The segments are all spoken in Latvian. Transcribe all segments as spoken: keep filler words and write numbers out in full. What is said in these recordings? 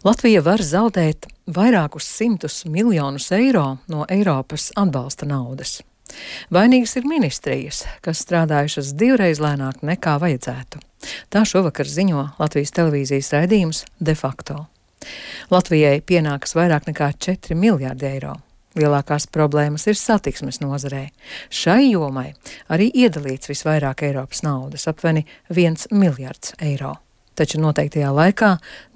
Latvija var zaudēt vairākus simtus miljonus eiro no Eiropas atbalsta naudas. Vainīgas ir ministrijas, kas strādājušas divreiz lēnāk nekā vajadzētu. Tā šovakar ziņo Latvijas televīzijas raidījums De facto. Latvijai pienākas vairāk nekā četri miljārdi eiro. Lielākās problēmas ir satiksmes nozarē. Šai jomai arī iedalīts visvairāk Eiropas naudas, aptuveni viens miljards eiro. Taču noteiktajā laikā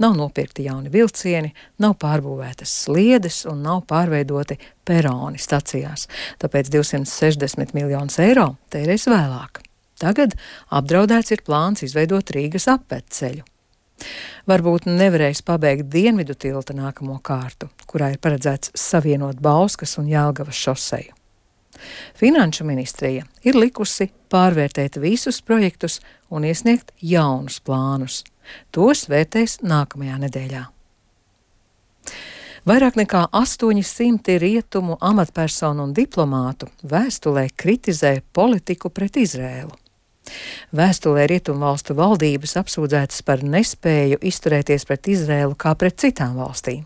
nav nopirkti jauni vilcieni, nav pārbūvētas sliedes un nav pārveidoti peroni stacijās. Tāpēc divsimt sešdesmit miljonus eiro tērēs vēlāk. Tagad apdraudēts ir plāns izveidot Rīgas apvedceļu. Varbūt nevarēs pabeigt Dienvidu tilta nākamo kārtu, kurā ir paredzēts savienot Bauskas un Jelgavas šoseju. Finanšu ministrija ir likusi pārvērtēt visus projektus un iesniegt jaunus plānus. Tos vērtēs nākamajā nedēļā. Vairāk nekā astoņi simti rietumu amatpersonu un diplomātu vēstulē kritizē politiku pret Izrēlu. Vēstulē rietumvalstu valdības apsūdzētas par nespēju izturēties pret Izrēlu kā pret citām valstīm.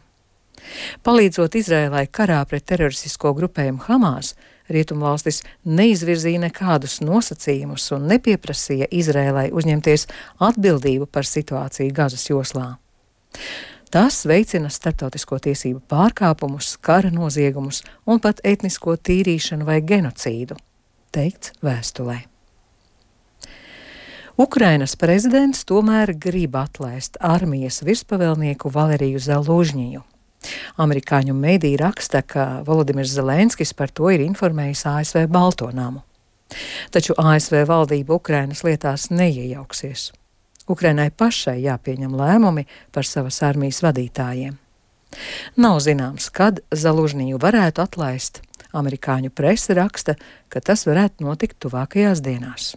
Palīdzot Izrēlai karā pret teroristisko grupējumu Hamas, rietumvalstis neizvirzīja nekādus nosacījumus un nepieprasīja Izrēlai uzņemties atbildību par situāciju Gazas joslā. Tas veicina starptautisko tiesību pārkāpumus, kara noziegumus un pat etnisko tīrīšanu vai genocīdu, teikts vēstulē. Ukrainas prezidents tomēr grib atlaist armijas virspavēlnieku Valeriju Zalužņiju. Amerikāņu mediji raksta, ka Volodimirs Zelenskis par to ir informējis A S V Balto namu. Taču A S V valdība Ukrainas lietās neiejauksies. Ukrainai pašai jāpieņem lēmumi par savas armijas vadītājiem. Nav zināms, kad Zalužņiju varētu atlaist. Amerikāņu prese raksta, ka tas varētu notikt tuvākajās dienās.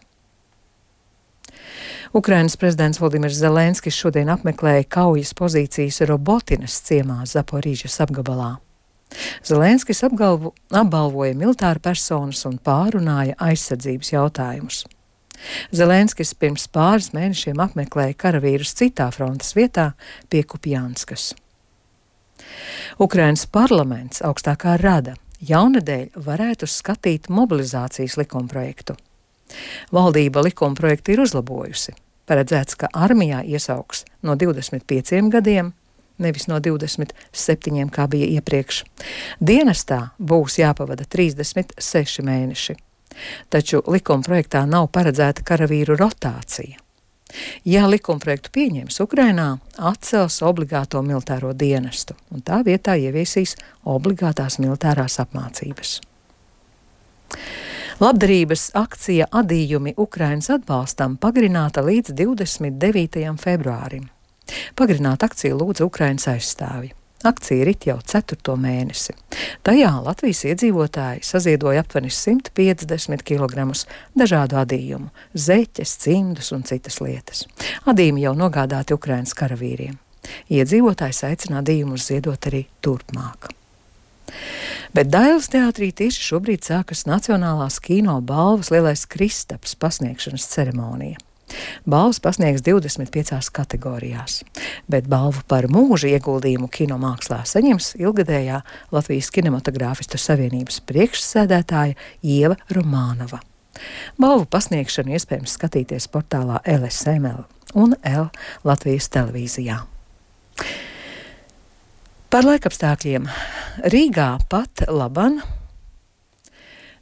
Ukrainas prezidents Volodimirs Zelenskis šodien apmeklēja kaujas pozīcijas Robotinas ciemā Zaporīžas apgabalā. Zelenskis apgalvo, apbalvoja militāru personas un pārunāja aizsardzības jautājumus. Zelenskis pirms pāris mēnešiem apmeklēja karavīrus citā frontes vietā pie Kupjanskas. Ukrainas parlaments augstākā rada jaunadēļ varētu skatīt mobilizācijas likumprojektu. Valdība likumprojektu ir uzlabojusi. Paredzēts, ka armijā iesauks no divdesmit pieciem gadiem, nevis no divdesmit septiņiem, kā bija iepriekš. Dienestā būs jāpavada trīsdesmit seši mēneši. Taču likumprojektā nav paredzēta karavīru rotācija. Ja likumprojektu pieņems, Ukrainā atcels obligāto militāro dienestu un tā vietā ieviesīs obligātās militārās apmācības. Labdarības akcija Adījumi Ukrainas atbalstam pagarināta līdz divdesmit devītajam februārim. Pagarināt akciju lūdza Ukrainas aizstāvji. Akcija rit jau ceturto mēnesi. Tajā Latvijas iedzīvotāji saziedoja aptuveni simt piecdesmit kilogramus dažādu adījumu, zeķes, cimdus un citas lietas. Adījumi jau nogādāti Ukrainas karavīriem. Iedzīvotājs aicina adījumus ziedot arī turpmāk. Bet Dailes teātrī tieši šobrīd sākas Nacionālās kino balvas Lielais Kristaps pasniegšanas ceremonija. Balvas pasniegs divdesmit piecās kategorijās, bet balvu par mūža ieguldījumu kinomākslā saņems ilgadējā Latvijas kinematogrāfistu savienības priekšsēdētāja Ieva Romānova. Balvu pasniegšanu iespējams skatīties portālā L S M L un L Latvijas televīzijā. Par laikapstākļiem. Rīgā pat laban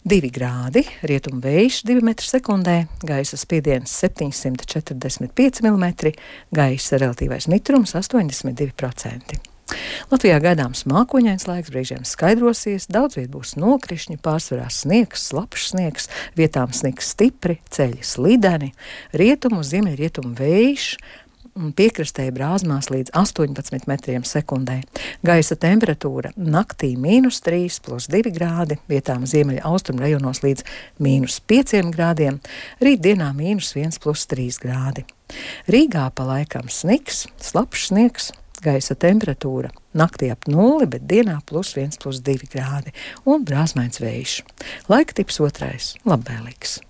divi grādi, rietumu vējš divi metri sekundē, gaisa spiediens septiņsimt četrdesmit pieci milimetri, gaisa relatīvais mitrums astoņdesmit divi procenti. Latvijā gaidāms mākoņains laiks, brīžiem skaidrosies, daudz viet būs nokrišņi, pārsvarā sniegs, slapjš sniegs, vietām sniegs stipri, ceļi slideni, rietumu, ziemeļrietumu vējš, piekrastē brāzmās līdz astoņpadsmit metriem sekundē. Gaisa temperatūra naktī mīnus trīs plus divi grādi, vietām ziemeļa austrumu rajonos līdz mīnus pieciem grādiem, rītdienā mīnus viens plus trīs grādi. Rīgā pa laikam sniks, slapjš sniegs, gaisa temperatūra naktī ap nulli, bet dienā plus viens plus divi grādi un brāzmains vējš. Laika tips otrais, labvēlīgs.